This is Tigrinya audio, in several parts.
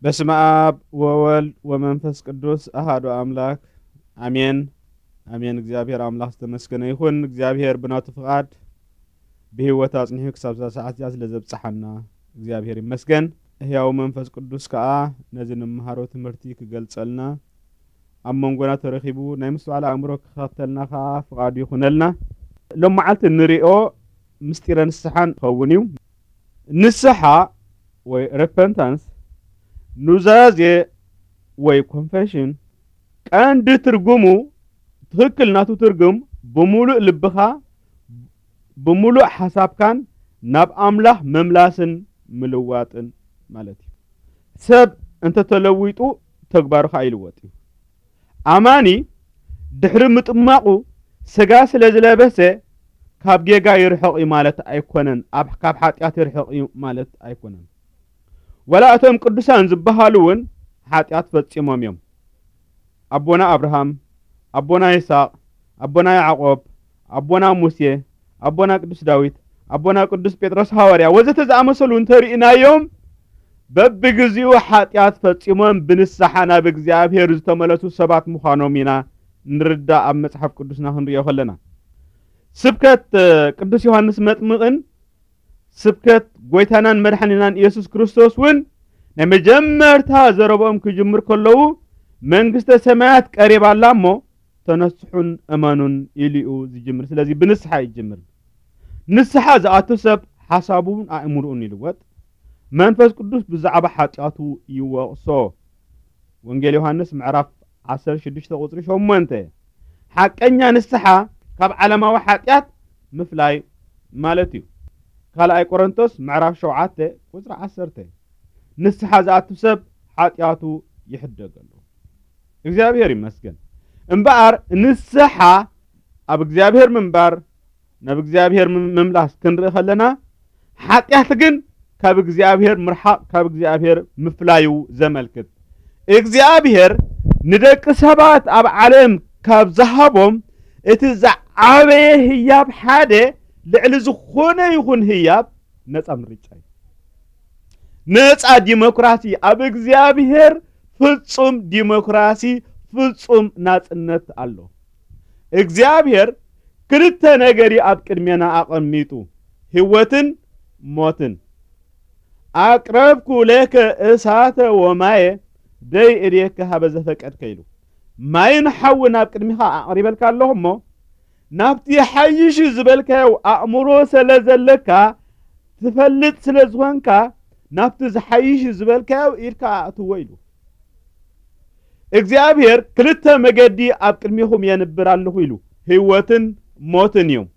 በስመ አብ ወወልድ ወመንፈስ ቅዱስ አሃዱ አምላክ አሜን። አሜን። እግዚኣብሔር አምላክ ዝተመስገነ ይኹን። እግዚኣብሔር ብናቱ ፍቓድ ብህይወት ኣጽኒሑ ክሳብ እዛ ሰዓት እዚኣ ስለ ዘብጽሓና እግዚኣብሔር ይመስገን። ህያው መንፈስ ቅዱስ ከኣ ነዚ ንምሃሮ ትምህርቲ ክገልጸልና ኣብ መንጎና ተረኺቡ ናይ ምስትውዓል ኣእምሮ ክኸፍተልና ከኣ ፍቓዱ ይኹነልና። ሎም መዓልቲ ንሪኦ ምስጢረ ንስሓ ንኸውን እዩ። ንስሓ ወይ repentance ኑዛዜ ወይ confession ቀንዲ ትርጉሙ ትኽክል ናቱ ትርጉም ብምሉእ ልብኻ ብምሉእ ሓሳብካን ናብ ኣምላኽ ምምላስን ምልዋጥን ማለት እዩ። ሰብ እንተተለዊጡ ተግባሩ ኸኣ ይልወጥ እዩ። ኣማኒ ድሕሪ ምጥማቑ ስጋ ስለ ዝለበሰ ካብ ጌጋ ይርሕቕ እዩ ማለት ኣይኮነን፣ ኣብ ካብ ሓጢኣት ይርሕቕ እዩ ማለት ኣይኮነን። ወላ እቶም ቅዱሳን ዝበሃሉ እውን ሓጢኣት ፈጺሞም እዮም። ኣቦና ኣብርሃም፣ ኣቦና ይስሐቅ፣ ኣቦና ያዕቆብ፣ ኣቦና ሙሴ፣ ኣቦና ቅዱስ ዳዊት፣ ኣቦና ቅዱስ ጴጥሮስ ሃዋርያ ወዘተ ዝኣመሰሉ እንተርኢናዮም በብግዚኡ ሓጢኣት ፈጺሞም ብንስሓ ናብ እግዚኣብሔር ዝተመለሱ ሰባት ምዃኖም ኢና ንርዳእ። ኣብ መጽሓፍ ቅዱስና ክንሪኦ ከለና ስብከት ቅዱስ ዮሃንስ መጥምቕን ስብከት ጎይታናን መድሓኒናን ኢየሱስ ክርስቶስ እውን ናይ መጀመርታ ዘረብኦም ክጅምር ከለዉ መንግስተ ሰማያት ቀሪባ ኣላ እሞ ተነስሑን እመኑን ኢሉ እዩ ዝጅምር። ስለዚ ብንስሓ ይጅምር። ንስሓ ዝኣቱ ሰብ ሓሳቡን ኣእምርኡን ይልወጥ። መንፈስ ቅዱስ ብዛዕባ ሓጢኣቱ ይወቕሶ። ወንጌል ዮሃንስ ምዕራፍ ዓሰርተ ሽዱሽተ ቁጽሪ ሸሞንተ። ሓቀኛ ንስሓ ካብ ዓለማዊ ሓጢኣት ምፍላይ ማለት እዩ። ካልኣይ ቆሮንቶስ ምዕራፍ ሸውዓተ ቁጽሪ ዓሰርተ። ንስሓ ዝኣቱ ሰብ ሓጢኣቱ ይሕደገሉ። እግዚኣብሔር ይመስገን። እምበኣር ንስሓ ኣብ እግዚኣብሔር ምንባር ናብ እግዚኣብሔር ምምላስ ክንርኢ ከለና ሓጢኣት ግን ካብ እግዚኣብሔር ምርሓቕ ካብ እግዚኣብሔር ምፍላዩ ዘመልክት እግዚኣብሔር ንደቂ ሰባት ኣብ ዓለም ካብ ዝሃቦም እቲ ዝዓበየ ህያብ ሓደ ልዕሊ ዝኾነ ይኹን ህያብ ነፃ ምርጫ እዩ። ነፃ ዲሞክራሲ ኣብ እግዚኣብሔር ፍጹም ዲሞክራሲ ፍጹም ናጽነት ኣሎ። እግዚኣብሔር ክልተ ነገር እዩ ኣብ ቅድሜና ኣቐሚጡ ህይወትን ሞትን። ኣቅረብኩ ለከ እሳተ ወማየ ደይ እዴከ ሃበ ዘፈቀድከ ኢሉ ማይን ሓዊ ናብ ቅድሚኻ ኣቕሪበልካ ኣለኹ እሞ ናብቲ ሓይሽ ዝበልካዮ ኣእምሮ ስለ ዘለካ ትፈልጥ ስለ ዝኾንካ ናብቲ ዝሓይሽ ዝበልካዮ ኢድካ ኣእትዎ ኢሉ እግዚኣብሔር ክልተ መገዲ ኣብ ቅድሚኹም የንብር ኣለኹ ኢሉ ህይወትን ሞትን እዮም።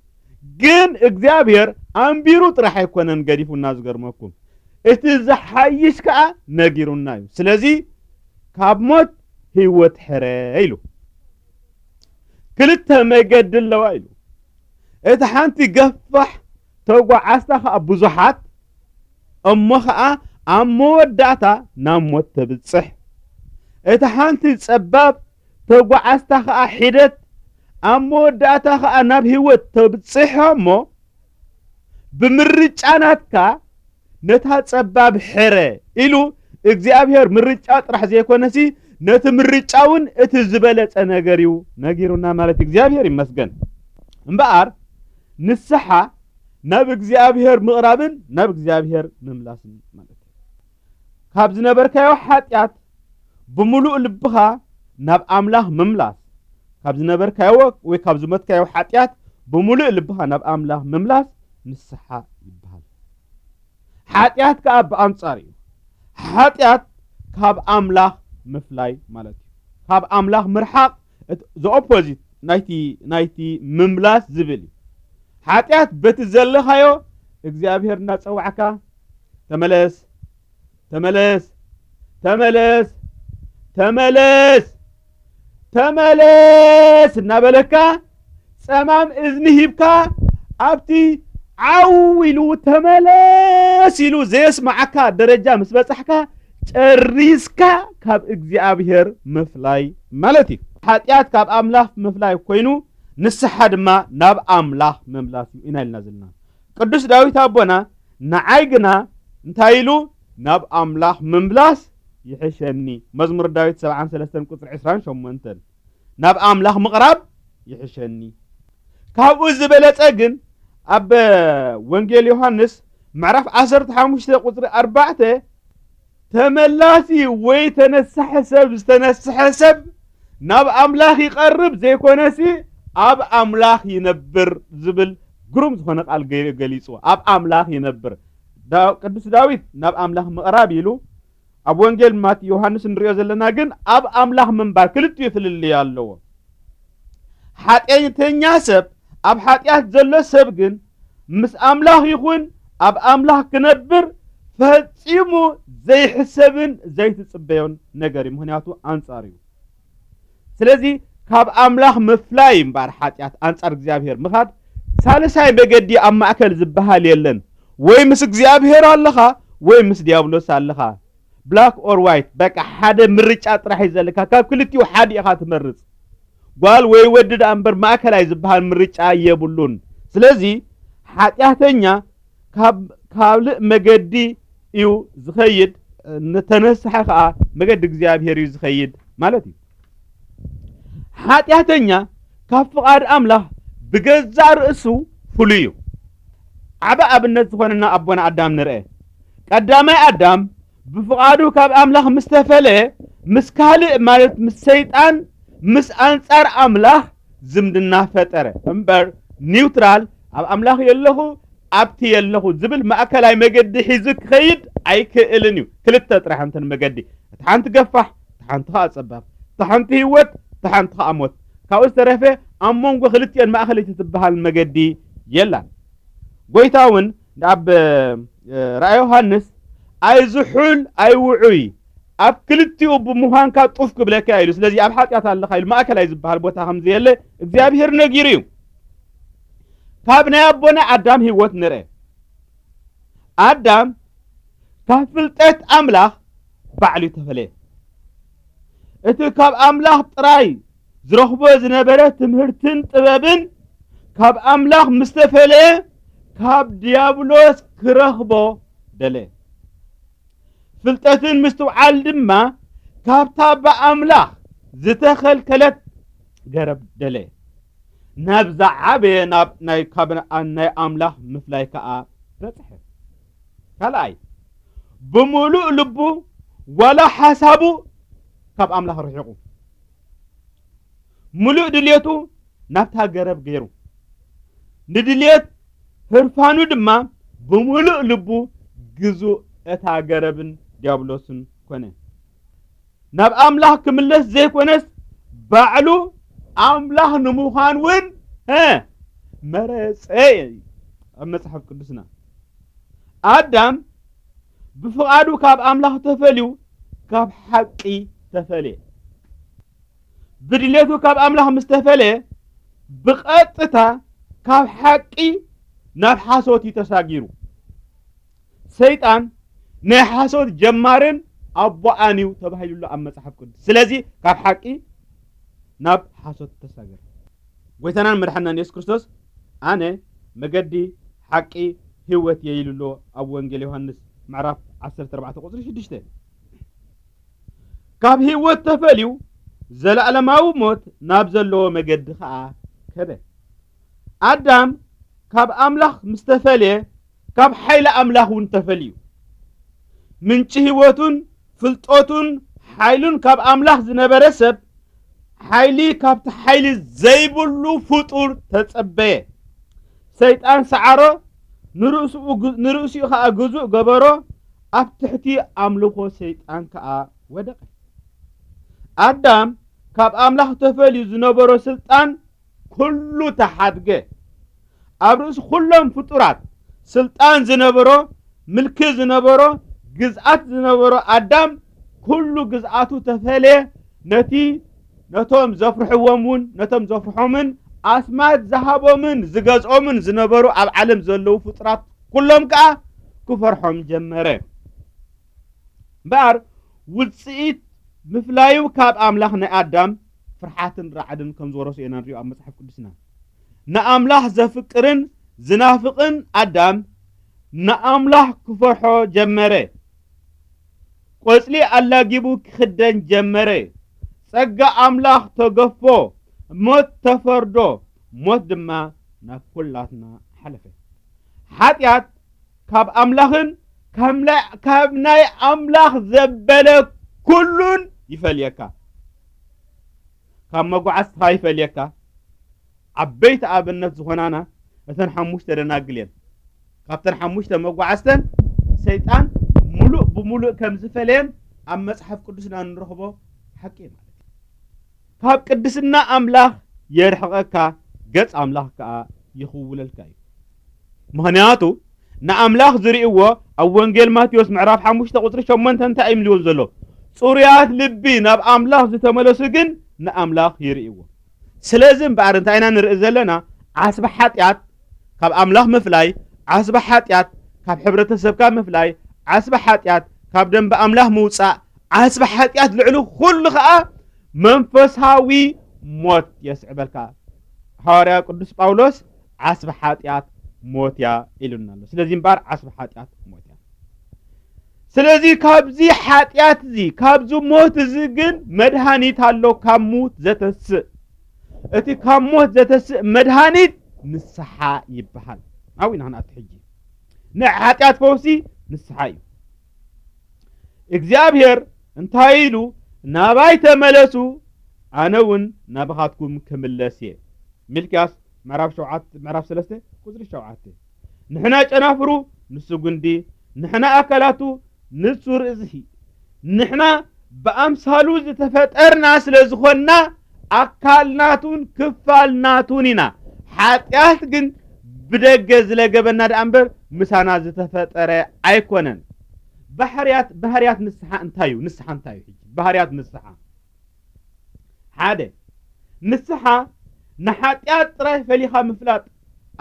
ግን እግዚኣብሔር ኣንቢሩ ጥራሕ ኣይኮነን ገዲፉና ዝገርመኩም እቲ ዝሓይሽ ከዓ ነጊሩና እዩ። ስለዚ ካብ ሞት ህይወት ሕረ ኢሉ ክልተ መገዲ ኣለዋ ኢሉ እቲ ሓንቲ ገፋሕ ተጓዓዝታ ከዓ ብዙሓት እሞ ከዓ ኣብ መወዳእታ ናብ ሞት ተብፅሕ። እቲ ሓንቲ ፀባብ ተጓዓዝታ ከዓ ሒደት ኣብ መወዳእታ ከዓ ናብ ህይወት ተብፅሖ እሞ ብምርጫ ናትካ ነታ ጸባብ ሕረ ኢሉ እግዚኣብሔር ምርጫ ጥራሕ ዘይኮነሲ ነቲ ምርጫ እውን እቲ ዝበለጸ ነገር እዩ ነጊሩና ማለት እዩ። እግዚኣብሔር ይመስገን። እምበኣር ንስሓ ናብ እግዚኣብሔር ምቕራብን ናብ እግዚኣብሔር ምምላስን ማለት እዩ። ካብ ዝነበርካዮ ሓጢኣት ብምሉእ ልብኻ ናብ ኣምላኽ ምምላስ፣ ካብ ዝነበርካዮ ወይ ካብ ዝሞትካዮ ሓጢኣት ብምሉእ ልብኻ ናብ ኣምላኽ ምምላስ ንስሓ ይበሃል። ሓጢኣት ከኣ ብኣንጻር እዩ። ሓጢኣት ካብ ኣምላኽ ምፍላይ ማለት እዩ። ካብ ኣምላኽ ምርሓቕ፣ the opposite ናይቲ ናይቲ ምምላስ ዝብል እዩ። ሓጢኣት በቲ ዘለኻዮ እግዚኣብሔር እናጸዋዕካ ተመለስ፣ ተመለስ፣ ተመለስ፣ ተመለስ፣ ተመለስ እናበለካ ጸማም እዝኒ ሂብካ ኣብቲ ዓው ኢሉ ተመለስ ኢሉ ዘየስማዓካ ደረጃ ምስ በጻሕካ ጨሪስካ ካብ እግዚኣብሔር ምፍላይ ማለት እዩ። ሓጢኣት ካብ ኣምላኽ ምፍላይ ኮይኑ ንስሓ ድማ ናብ ኣምላኽ ምምላስ እዩ ኢና ኢልና ዘለና። ቅዱስ ዳዊት ኣቦና ንዓይ ግና እንታይ ኢሉ ናብ ኣምላኽ ምምላስ ይሕሸኒ። መዝሙር ዳዊት ሰብዓን ሰለስተን ቁጽሪ ዕስራን ሸሞንተን፣ ናብ ኣምላኽ ምቕራብ ይሕሸኒ። ካብኡ ዝበለጸ ግን ኣብ ወንጌል ዮሃንስ ምዕራፍ ዓሰርተ ሓሙሽተ ቁጽሪ ኣርባዕተ፣ ተመላሲ ወይ ተነሳሐ ሰብ፣ ዝተነስሐ ሰብ ናብ ኣምላኽ ይቐርብ ዘይኮነሲ ኣብ ኣምላኽ ይነብር ዝብል ግሩም ዝኾነ ቃል ገ-፣ ገሊጽዎ። ኣብ ኣምላኽ ይነብር። ዳ-፣ ቅዱስ ዳዊት ናብ ኣምላኽ ምቕራብ ኢሉ ኣብ ወንጌል ማት-፣ ዮሃንስ እንሪኦ ዘለና ግን ኣብ ኣምላኽ ምንባር ክልቲኡ ፍልልይ ኣለዎ። ሓጢኣተኛ ሰብ፣ ኣብ ሓጢኣት ዘሎ ሰብ ግን ምስ ኣምላኽ ይኹን ኣብ ኣምላኽ ክነብር ፈጺሙ ዘይሕሰብን ዘይትጽበዮን ነገር እዩ። ምኽንያቱ ኣንጻር እዩ። ስለዚ ካብ ኣምላኽ ምፍላይ እምበኣር ሓጢኣት፣ ኣንጻር እግዚኣብሔር ምኻድ፣ ሳልሳይ መገዲ ኣብ ማእከል ዝበሃል የለን። ወይ ምስ እግዚኣብሔር ኣለኻ ወይ ምስ ዲያብሎስ ኣለኻ። ብላክ ኦር ዋይት፣ በቃ ሓደ ምርጫ ጥራሕ እዩ ዘለካ። ካብ ክልቲኡ ሓደ ኢኻ ትመርጽ። ጓል ወይ ወዲ ደኣ እምበር ማእከላይ ዝበሃል ምርጫ የብሉን። ስለዚ ሓጢኣተኛ ካብ ካልእ መገዲ እዩ ዝኸይድ፣ ንተነሳሐ ከኣ መገዲ እግዚኣብሔር እዩ ዝኸይድ ማለት እዩ። ሓጢኣተኛ ካብ ፍቓድ ኣምላኽ ብገዛእ ርእሱ ፍሉይ እዩ። ዓቢ ኣብነት ዝኾነና ኣቦና ኣዳም ንርአ። ቀዳማይ ኣዳም ብፍቓዱ ካብ ኣምላኽ ምስ ተፈለየ፣ ምስ ካልእ ማለት ምስ ሰይጣን፣ ምስ ኣንጻር ኣምላኽ ዝምድና ፈጠረ። እምበር ኒውትራል፣ ኣብ ኣምላኽ የለኹ፣ ኣብቲ የለኹ ዝብል ማእከላይ መገዲ ሒዙ ክኸይድ ኣይክእልን እዩ። ክልተ ጥራሕ እንተን መገዲ፣ እታ ሓንቲ ገፋሕ፣ እታ ሓንቲ ኸኣ ጸባብ፣ እታ ሓንቲ ህይወት፣ እታ ሓንቲ ኸኣ ሞት። ካብኡ ዝተረፈ ኣብ መንጎ ክልቲኦን ማእከለይቲ ትበሃል መገዲ የላን። ጎይታ እውን ኣብ፣ እ፣ ራእይ ዮሃንስ፣ "ኣይዝሑል ኣይውዑይ፣ ኣብ ክልቲኡ ብምዃንካ ጡፍ ክብለካ" ኢሉ። ስለዚ ኣብ ሓጢኣት ኣለኻ ኢሉ፣ ማእከላይ ዝበሃል ቦታ ከም ዘየለ እግዚኣብሔር ነጊሩ እዩ። ካብ ናይ ኣቦና ኣዳም ህይወት ንርአ። ኣዳም ካብ ፍልጠት ኣምላኽ ባዕሉ ተፈለየ። እቲ ካብ ኣምላኽ ጥራይ ዝረኽቦ ዝነበረ ትምህርትን ጥበብን ካብ ኣምላኽ ምስ ተፈለየ፣ ካብ ዲያብሎስ ክረኽቦ ደለየ። ፍልጠትን ምስትውዓል ድማ ካብታ ብኣምላኽ ዝተኸልከለት ገረብ ደለየ። ናብ ዝዓበየ ናብ ናይ፣ ካብ ናይ ኣምላኽ ምፍላይ ከኣ በጽሐ። ካልኣይ፣ ብምሉእ ልቡ ዋላ ሓሳቡ ካብ ኣምላኽ ርሒቑ፣ ምሉእ ድልየቱ ናብታ ገረብ ገይሩ፣ ንድልየት ህርፋኑ ድማ ብምሉእ ልቡ ግዙእ እታ ገረብን ዲያብሎስን ኮነ። ናብ ኣምላኽ ክምለስ ዘይኮነስ፣ ባዕሉ ኣምላኽ ንምዃን እውን፣ እ፣ መረጸ። ኣብ መጽሓፍ ቅዱስና ኣዳም ብፍቓዱ ካብ ኣምላኽ ተፈልዩ፣ ካብ ሓቂ ተፈልየ። ብድሌቱ ካብ ኣምላኽ ምስ ተፈልየ፣ ብቐጥታ ካብ ሓቂ ናብ ሓሶት እዩ ተሳጊሩ። ሰይጣን ናይ ሓሶት ጀማርን ኣቦኣን እዩ ተባሂሉሉ ኣብ መጽሓፍ ቅዱስ። ስለዚ ካብ ሓቂ ናብ ሓሶት ተሳገረ። ጎይታናን መድሓናን የሱስ ክርስቶስ፣ "ኣነ መገዲ፣ ሓቂ፣ ህይወት እየ" ኢሉ ኣሎ ኣብ ወንጌል ዮሃንስ ምዕራፍ ዓሰርተ ኣርባዕተ ቁጽሪ ሽዱሽተ። ካብ ህይወት ተፈልዩ፣ ዘለኣለማዊ ሞት ናብ ዘለዎ መገዲ ኸኣ ከደ። ኣዳም ካብ ኣምላኽ ምስ ተፈልየ፣ ካብ ሓይሊ ኣምላኽ እውን ተፈልዩ። ምንጪ ህይወቱን ፍልጠቱን ሓይሉን ካብ ኣምላኽ ዝነበረ ሰብ፣ ሓይሊ ካብቲ ሓይሊ ዘይብሉ ፍጡር ተጸበየ። ሰይጣን ሰዓሮ፣ ንርእስኡ ግ-፣ ንርእሲኡ ኸኣ ግዙእ ገበሮ፣ ኣብ ትሕቲ ኣምልኾ ሰይጣን ከኣ ወደቐ። ኣዳም ካብ ኣምላኽ ተፈልዩ ዝነበሮ ስልጣን ኩሉ ተሓድገ። ኣብ ርእሲ ኩሎም ፍጡራት ስልጣን ዝነበሮ፣ ምልኪ ዝነበሮ፣ ግዝኣት ዝነበሮ ኣዳም፣ ኩሉ ግዝኣቱ ተፈልየ። ነቲ፣ ነቶም ዘፍርሕዎም እውን፣ ነቶም ዘፍርሖምን ኣስማት ዝሃቦምን ዝገዝኦምን ዝነበሩ ኣብ ዓለም ዘለዉ ፍጡራት ኩሎም ከኣ ክፈርሖም ጀመረ። እምበኣር ውጽኢት ምፍላዩ ካብ ኣምላኽ ናይ ኣዳም ፍርሓትን ራዕድን ከም ዝወረሱ ኢና ንሪኦ ኣብ መጽሓፍ ቅዱስና። ንኣምላኽ ዘፍቅርን ዝናፍቕን ኣዳም ንኣምላኽ ክፈርሖ ጀመረ። ቆጽሊ ኣላጊቡ ክኽደን ጀመረ። ጸጋ ኣምላኽ ተገፎ፣ ሞት ተፈርዶ፣ ሞት ድማ ናብ ኩላትና ሓለፈ። ሓጢኣት ካብ ኣምላኽን ካብ ናይ፣ ካብ ናይ ኣምላኽ ዘበለ ኩሉን ይፈልየካ። ካብ መጓዓዝትኻ ይፈልየካ። ዓበይቲ ኣብነት ዝኾናና እተን ሓሙሽተ ደናግል እየን። ካብተን ሓሙሽተ መጓዓዝተን ሰይጣን ሙሉእ ብሙሉእ ከም ዝፈለየን ኣብ መጽሓፍ ቅዱስና እንረኽቦ ሓቂ እዩ ማለት እዩ። ካብ ቅድስና ኣምላኽ የርሕቐካ፣ ገጽ ኣምላኽ ከኣ ይኽውለልካ እዩ። ምኽንያቱ ንኣምላኽ ዝርእይዎ ኣብ ወንጌል ማቴዎስ ምዕራፍ ሓሙሽተ ቁጽሪ ሸሞንተ እንታይ እዩ ዝብልዎ ዘሎ? ጽሩያት ልቢ ናብ ኣምላኽ ዝተመለሱ ግን ንኣምላኽ ይርእይዎ። ስለዚ እምበኣር እንታይ ኢና ንርኢ ዘለና? ዓስቢ ሓጢኣት ካብ ኣምላኽ ምፍላይ፣ ዓስቢ ሓጢኣት ካብ ሕብረተሰብካ ምፍላይ፣ ዓስቢ ሓጢኣት ካብ ደንበ ኣምላኽ ምውጻእ፣ ዓስቢ ሓጢኣት ልዕሊ ኩሉ ኸኣ መንፈሳዊ ሞት የስዕበልካ። ሃዋርያ ቅዱስ ጳውሎስ ዓስቢ ሓጢኣት ሞት እያ ኢሉና ኣሎ። ስለዚ እምበኣር ዓስቢ ሓጢኣት ሞት እያ። ስለዚ ካብዚ ሓጢኣት እዚ፣ ካብዚ ሞት እዚ ግን መድሃኒት ኣሎ፣ ካብ ሙት ዘተስእ። እቲ ካብ ሞት ዘተስእ መድሃኒት ንስሓ ይበሃል። ኣብኡ ኢና ክንኣቱ ሕጂ። ንሓጢኣት ፈውሲ ንስሓ እዩ። እግዚኣብሔር እንታይ ኢሉ? "ናባይ ተመለሱ፣ ኣነ እውን ናባኻትኩም ክምለስ እየ።" ሚልክያስ ምዕራፍ ሸውዓተ፣ ምዕራፍ ሰለስተ ቁጽሪ ሸውዓተ። ንሕና ጨናፍሩ፣ ንሱ ጉንዲ፣ ንሕና ኣካላቱ፣ ንሱ ርእሲ። ንሕና ብኣምሳሉ ዝተፈጠርና ስለ ዝኾንና፣ ኣካል ናቱን ክፋል ናቱን ኢና። ሓጢኣት ግን ብደገ ዝለገበና ደኣ እምበር ምሳና ዝተፈጠረ ኣይኮነን። ባህርያት፣ ባህርያት ንስሓ እንታይ እዩ? ንስሓ እንታይ እዩ? ሕጂ ባህርያት ንስሓ፣ ሓደ፣ ንስሓ ንሓጢኣት ጥራይ ፈሊኻ ምፍላጥ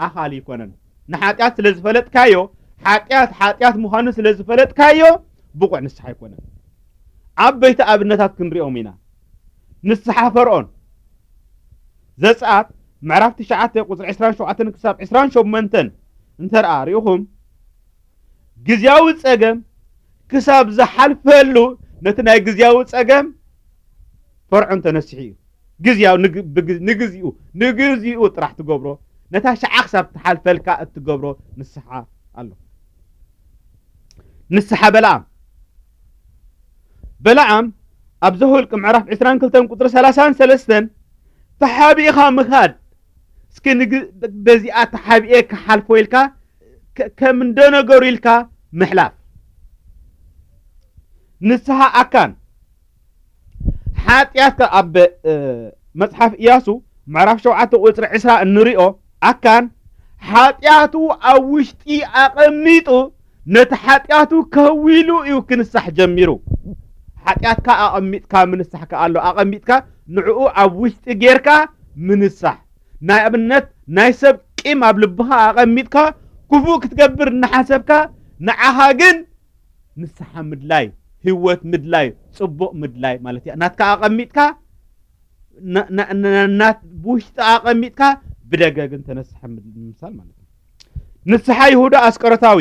ኣኻሊ ኣይኮነን። ንሓጢኣት ስለ ዝፈለጥካዮ፣ ሓጢኣት ሓጢኣት ምዃኑ ስለ ዝፈለጥካዮ፣ ብቑዕ ንስሓ ኣይኮነን። ዓበይቲ ኣብነታት ክንሪኦም ኢና። ንስሓ ፈርዖን፣ ዘጸኣት ምዕራፍ ትሽዓተ ቁጽሪ ዕስራን ሸውዓተን ክሳብ ዕስራን ሸሞንተን እንተ ደኣ ርኢኹም፣ ግዝያዊ ጸገም ክሳብ ዝሓልፈሉ፣ ነቲ ናይ ግዝያዊ ጸገም ፈርዖን ተነሲሑ እዩ። ግዝያዊ፣ ንግ-፣ ብግ-፣ ንግዚኡ፣ ንግዚኡ ጥራሕ ትገብሮ፣ ነታ ሸዓ ክሳብ ትሓልፈልካ እትገብሮ ንስሓ ኣሎ። ንስሓ በለዓም፣ በለዓም ኣብ ዘኍልቍ ምዕራፍ ዕስራን ክልተን ቁጽሪ ሰላሳን ሰለስተን፣ ተሓቢእኻ ምኻድ፣ እስኪ ንግ-፣ በዚኣ ተሓቢኤ ክሓልፎ ኢልካ፣ ከ-፣ ከም እንደ ነገሩ ኢልካ ምሕላፍ። ንስሓ ኣካን፣ ሓጢኣትካ ኣብ፣ እ፣ መጽሓፍ ኢያሱ ምዕራፍ ሸውዓተ ቁጽሪ ዕስራ እንሪኦ፣ ኣካን ሓጢኣቱ ኣብ ውሽጢ ኣቐሚጡ፣ ነቲ ሓጢኣቱ ከዊሉ እዩ ክንሳሕ ጀሚሩ። ሓጢኣትካ ኣቐሚጥካ ምንሳሕ ከኣ ኣሎ። ኣቐሚጥካ ንዕኡ ኣብ ውሽጢ ጌርካ ምንሳሕ። ናይ ኣብነት ናይ ሰብ ቂም ኣብ ልብኻ ኣቐሚጥካ ክፉእ ክትገብር እናሓሰብካ፣ ንዓኻ ግን ንስሓ ምድላይ፣ ህይወት ምድላይ፣ ጽቡቕ ምድላይ ማለት እያ። ናትካ ኣቐሚጥካ፣ ና-፣ ና-፣ ና-፣ ናት-፣ ብውሽጢ ኣቐሚጥካ ብደገ ግን ተነስሐ ምድ-፣ ምምሳል ማለት እዩ። ንስሓ ይሁዳ ኣስቆሮታዊ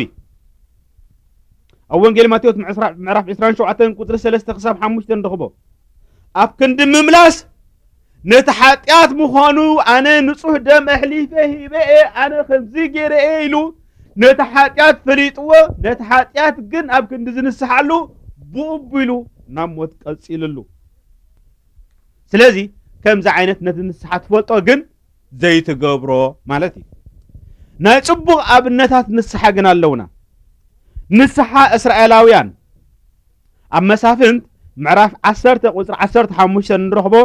ኣብ ወንጌል ማቴዎስ ምዕስራ-፣ ምዕራፍ ዕስራን ሸውዓተን ቁጽሪ ሰለስተ ክሳብ ሓሙሽተ ንረኽቦ። ኣብ ክንዲ ምምላስ ነቲ ሓጢኣት ምዃኑ፣ ኣነ ንጹህ ደም ኣሕሊፈ ሂበ እየ፣ ኣነ ከምዚ ገይረ እየ ኢሉ ነቲ ሓጢኣት ፈሊጥዎ፣ ነቲ ሓጢኣት ግን ኣብ ክንዲ ዝንስሓሉ ብኡ ኣቢሉ ናብ ሞት ቀጺልሉ። ስለዚ ከምዚ ዓይነት ነቲ ንስሓ ትፈልጦ ግን ዘይትገብሮ ማለት እዩ። ናይ ጽቡቕ ኣብነታት ንስሓ ግን ኣለውና። ንስሓ እስራኤላውያን ኣብ መሳፍንት ምዕራፍ ዓሰርተ ቁጽሪ ዓሰርተ ሓሙሽተ ንረኽቦ፣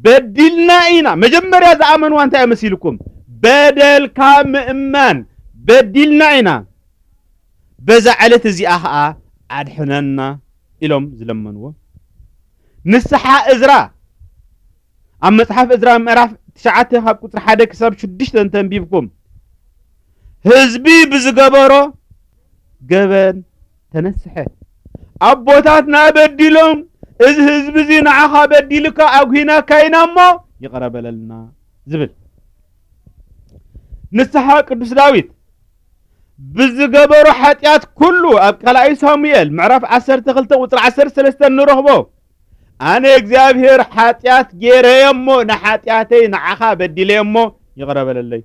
"በዲልና ኢና።" መጀመርያ ዝኣመንዋ እንታይ መሲልኩም? በደልካ ምእማን። "በዲልና ኢና፣ በዛ ዕለት እዚኣ ኸኣ ኣድሕነና" ኢሎም ዝለመንዎ። ንስሓ እዝራ ኣብ መጽሓፍ እዝራ ምዕራፍ ትሽዓተ ካብ ቁጽሪ ሓደ ክሳብ ሽዱሽተ እንተንቢብኩም፣ ህዝቢ ብዝገበሮ ገበን ተነስሐ። "ኣቦታትና በዲሎም፣ እዚ ህዝቢ እዚ ንዓኻ በዲሉካ ኣጉሂናካ ኢና እሞ ይቕረ በለልና" ዝብል። ንስሓ ቅዱስ ዳዊት ብዝገበሮ ሓጢኣት ኩሉ ኣብ ካልኣይ ሳሙኤል ምዕራፍ ዓሰርተ ክልተ ቁጽሪ ዓሰርተ ሰለስተ ንረኽቦ። ኣነ እግዚኣብሔር ሓጢኣት ገይረየ እሞ ንሓጢኣተይ ንዓኻ በዲለየ እሞ ይቕረ በለለይ።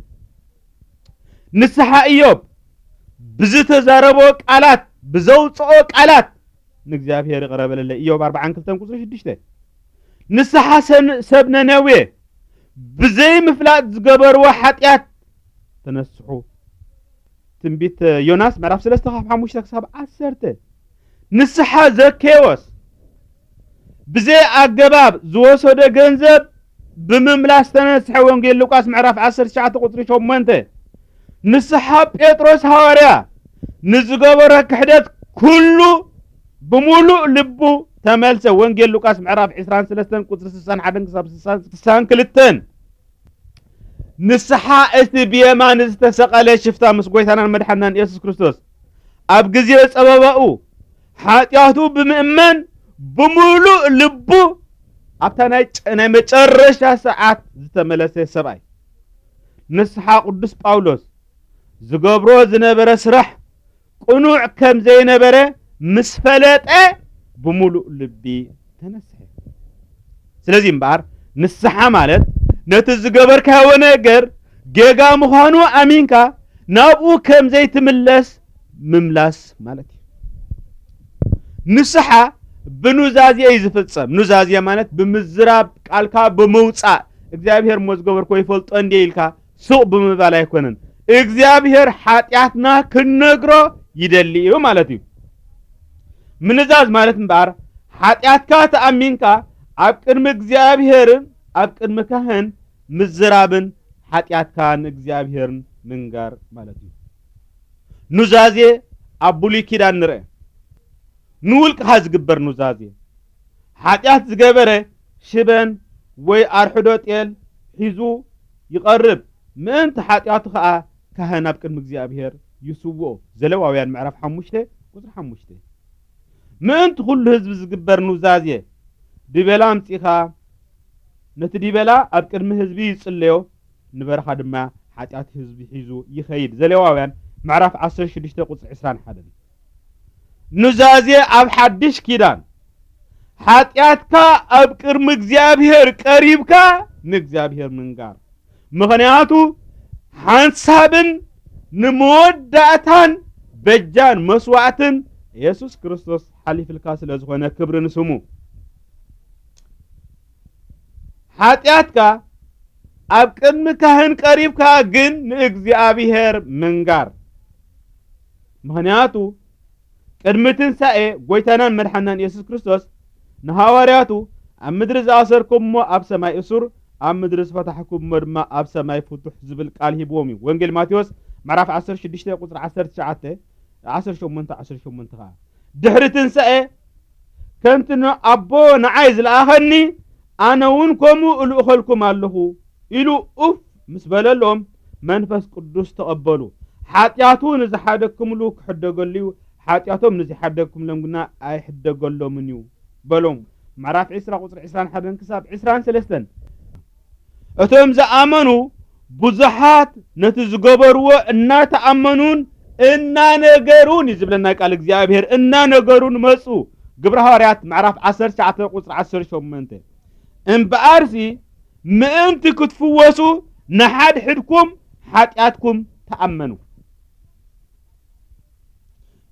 ንስሓ ኢዮብ ብዝተዛረቦ ቃላት፣ ብዘውፅኦ ቃላት ንእግዚኣብሔር ይቕረ በለለይ። ኢዮብ ኣርብዓን ክልተን ቁፅሪ ሽዱሽተ። ንስሓ ሰን-፣ ሰብ ነነዌ ብዘይምፍላጥ ዝገበርዎ ሓጢኣት ተነስሑ። ትንቢት ዮናስ ምዕራፍ ሰለስተ ካብ ሓሙሽተ ክሳብ ዓሰርተ። ንስሓ ዘኬዎስ ብዘይ ኣገባብ ዝወሰዶ ገንዘብ ብምምላስ ተነስሐ። ወንጌል ሉቃስ ምዕራፍ ዓሰርተ ትሽዓተ ቁፅሪ ሸሞንተ። ንስሓ ጴጥሮስ ሃዋርያ ንዝገበሮ ክሕደት ኩሉ ብምሉእ ልቡ ተመልሰ። ወንጌል ሉቃስ ምዕራፍ ዕስራን ሰለስተን ቁፅሪ ስሳን ሓደን ክሳብ ስሳን ክልተን። ንስሓ እቲ ብየማን ዝተሰቐለ ሽፍታ ምስ ጎይታናን መድሓናን የሱስ ክርስቶስ ኣብ ግዜ ጸበባኡ ሓጢኣቱ ብምእመን ብምሉእ ልቡ ኣብታ ናይ ጨ-፣ ናይ መጨረሻ ሰዓት ዝተመለሰ ሰብኣይ። ንስሓ ቅዱስ ጳውሎስ ዝገብሮ ዝነበረ ስራሕ ቅኑዕ ከም ዘይነበረ ምስ ፈለጠ ብምሉእ ልቢ ተነስሐ። ስለዚ እምበኣር ንስሓ ማለት ነቲ ዝገበርካዮ ነገር ጌጋ ምዃኑ ኣሚንካ ናብኡ ከም ዘይትምለስ ምምላስ ማለት እዩ። ንስሓ ብኑዛዜ እዩ ዝፍጸም። ኑዛዜ ማለት ብምዝራብ፣ ቃልካ ብምውጻእ፣ እግዚኣብሔር እሞ ዝገበርኮ ይፈልጦ እንዴ ኢልካ ሱቕ ብምባል ኣይኮነን። እግዚኣብሔር ሓጢኣትና ክንነግሮ ይደሊ እዩ ማለት እዩ። ምንዛዝ ማለት እምበኣር ሓጢኣትካ ተኣሚንካ ኣብ ቅድሚ እግዚኣብሔርን ኣብ ቅድሚ ካህን ምዝራብን ሓጢኣትካ ንእግዚኣብሔርን ምንጋር ማለት እዩ። ኑዛዜ ኣብ ብሉይ ኪዳን ንርአ። ንውልቅኻ ዝግበር ኑዛዜ። ሓጢኣት ዝገበረ ሽበን ወይ ኣርሕዶ ጤል ሒዙ ይቐርብ። ምእንቲ ሓጢኣቱ ኸኣ ካህን ኣብ ቅድሚ እግዚኣብሔር ይስውኦ። ዘሌዋውያን ምዕራፍ ሓሙሽተ ቁጽሪ ሓሙሽተ። ምእንቲ ኩሉ ህዝቢ ዝግበር ኑዛዜ። ዲበላ ኣምጺኻ ነቲ ዲበላ ኣብ ቅድሚ ህዝቢ ይጽለዮ፣ ንበረኻ ድማ ሓጢኣት ህዝቢ ሒዙ ይኸይድ። ዘሌዋውያን ምዕራፍ ዓሰርተ ሽዱሽተ ቁጽሪ ዕስራን ሓደን። ኑዛዜ ኣብ ሓድሽ ኪዳን። ሓጢኣትካ ኣብ ቅድሚ እግዚኣብሔር ቀሪብካ ንእግዚኣብሔር ምንጋር። ምኽንያቱ ሓንሳብን ንመወዳእታን በጃን መስዋዕትን የሱስ ክርስቶስ ሓሊፍልካ ስለ ዝኾነ ክብሪ ንስሙ። ሓጢኣትካ ኣብ ቅድሚ ካህን ቀሪብካ ግን ንእግዚኣብሔር ምንጋር። ምኽንያቱ ቅድሚ ትንሳኤ ጎይታናን መድሓናን የሱስ ክርስቶስ ንሃዋርያቱ ኣብ ምድሪ ዝኣሰርኩምዎ ኣብ ሰማይ እሱር፣ ኣብ ምድሪ ዝፈታሕኩምዎ ድማ ኣብ ሰማይ ፍቱሕ ዝብል ቃል ሂብዎም እዩ። ወንጌል ማቴዎስ ምዕራፍ ዓሰርተ ሽዱሽተ ቁጽሪ ዓሰርተ ትሽዓተ፣ ዓሰርተ ሸሞንተ፣ ዓሰርተ ሸሞንተ ኸዓ። ድሕሪ ትንሳኤ ከምቲ ን-፣ ኣቦ ንዓይ ዝለኣኸኒ ኣነ እውን ከምኡ እልእኸልኩም ኣለኹ ኢሉ ኡፍ ምስ በለሎም መንፈስ ቅዱስ ተቐበሉ። ሓጢኣቱ ንዝሓደግኩምሉ ክሕደገሉ እዩ፣ ሓጢኣቶም ንዝሓደግኩምሎም ግና ኣይሕደገሎምን እዩ በሎም። ምዕራፍ ዕስራ ቁጽሪ ዕስራን ሓደን ክሳብ ዕስራን ሰለስተን። እቶም ዝኣመኑ ብዙሓት ነቲ ዝገበርዎ እናተኣመኑን እናነገሩን እዩ ዝብለና ቃል እግዚኣብሔር። እናነገሩን መጹ። ግብረ ሃዋርያት ምዕራፍ ዓሰርተ ትሽዓተ ቁጽሪ ዓሰርተ ሸሞንተ። እምበኣርሲ ምእንቲ ክትፍወሱ ንሓድሕድኩም ሓጢኣትኩም ተኣመኑ።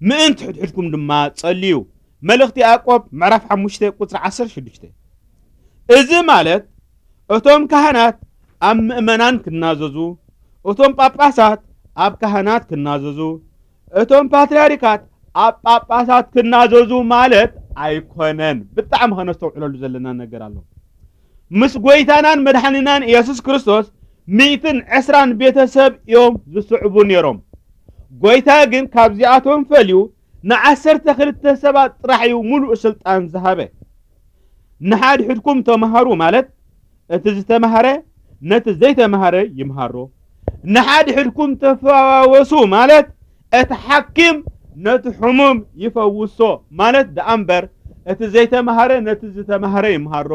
ምእንቲ ሕድሕድኩም ድማ ጸልዩ። መልእኽቲ ያዕቆብ ምዕራፍ ሓሙሽተ ቁጽሪ ዓሰርተ ሽዱሽተ። እዚ ማለት እቶም ካህናት ኣብ ምእመናን ክናዘዙ፣ እቶም ጳጳሳት ኣብ ካህናት ክናዘዙ፣ እቶም ፓትርያርካት ኣብ ጳጳሳት ክናዘዙ ማለት ኣይኮነን። ብጣዕሚ ከነስተውዕለሉ ዘለና ነገር ኣሎ። ምስ ጎይታናን መድሓኒናን ኢየሱስ ክርስቶስ ሚእትን ዕስራን ቤተሰብ እዮም ዝስዕቡ ነይሮም። ጎይታ ግን ካብዚኣቶም ፈልዩ ንዓሰርተ ክልተ ሰባት ጥራሕ እዩ ሙሉእ ስልጣን ዝሃበ። ንሓድሕድኩም ተምሃሩ ማለት እቲ ዝተምሃረ ነቲ ዘይተምሃረ ይምሃሮ። ንሓድሕድኩም ተፈዋወሱ ማለት እቲ ሓኪም ነቲ ሕሙም ይፈውሶ ማለት ደኣ እምበር፣ እቲ ዘይተምሃረ ነቲ ዝተምሃረ ይምሃሮ።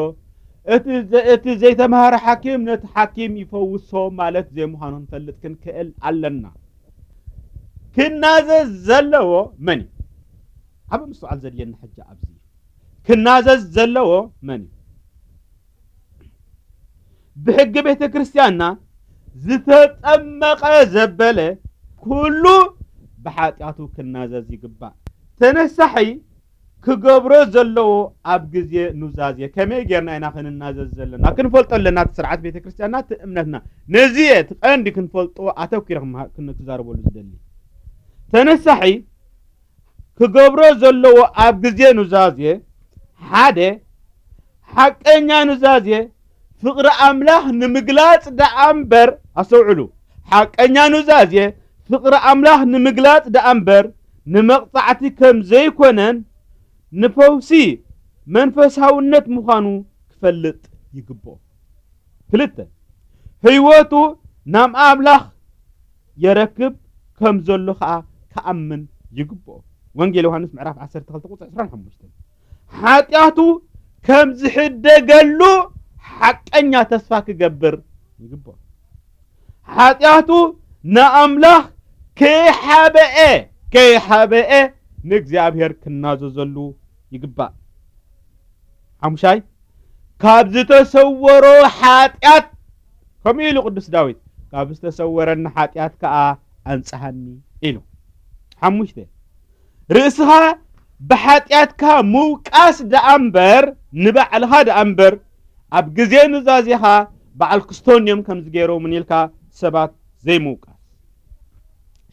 እቲ ዘ-፣ እቲ ዘይተምሃረ ሓኪም ነቲ ሓኪም ይፈውሶ ማለት ዘይምዃኑ ክንፈልጥ ክንክእል ኣለና። ክናዘዝ ዘለዎ መን እዩ? ዓቢ ምስትውዓል ዘድልየና ሕጂ ኣብዚ እዩ። ክናዘዝ ዘለዎ መን እዩ? ብሕጊ ቤተ ክርስቲያንና ዝተጠመቐ ዘበለ ኩሉ ብሓጢኣቱ ክናዘዝ ይግባእ። ተነሳሒ ክገብሮ ዘለዎ ኣብ ግዜ ኑዛዜ ከመይ ጌርና ኢና ክንናዘዝ ዘለና? ክንፈልጦ ኣለና። እቲ ስርዓት ቤተ ክርስቲያንና፣ እቲ እምነትና። ነዚ እየ እቲ ቀንዲ ክንፈልጦ ኣተኲረ ክመሃ-፣ ክን-፣ ክዛረበሉ ዝደሊ። ተነሳሒ ክገብሮ ዘለዎ ኣብ ግዜ ኑዛዜ፣ ሓደ፣ ሓቀኛ ኑዛዜ ፍቕሪ ኣምላኽ ንምግላጽ ደኣ እምበር፣ ኣስተውዕሉ፣ ሓቀኛ ኑዛዜ ፍቕሪ ኣምላኽ ንምግላጽ ደኣ እምበር፣ ንመቕጻዕቲ ከም ዘይኮነን፣ ንፈውሲ መንፈሳውነት ምዃኑ ክፈልጥ ይግብኦ። ክልተ፣ ህይወቱ ናብ ኣምላኽ የረክብ ከም ዘሎ ኸኣ ክኣምን ይግብኦ። ወንጌል ዮሃንስ ምዕራፍ ዓሰርተ ክልተ ቁጽሪ ዕስራን ሓሙሽተን። ሓጢኣቱ ከም ዝሕደገሉ ሓቀኛ ተስፋ ክገብር ይግብኦ። ሓጢኣቱ ንኣምላኽ ከይሓበኤ፣ ከይሓበኤ ንእግዚኣብሔር ክናዘዘሉ ይግባእ። ሓሙሻይ፣ ካብ ዝተሰወሮ ሓጢኣት፣ ከምኡ ኢሉ ቅዱስ ዳዊት፣ "ካብ ዝተሰወረኒ ሓጢኣት ከኣ ኣንጽሃኒ" ኢሉ። ሓሙሽተ፣ ርእስኻ ብሓጢኣትካ ምውቃስ ደኣ እምበር፣ ንባዕልኻ ደኣ እምበር፣ ኣብ ግዜ ኑዛዜኻ በዓል ክስቶንዮም ከምዚ ገይሮምን ኢልካ ሰባት ዘይምውቃስ።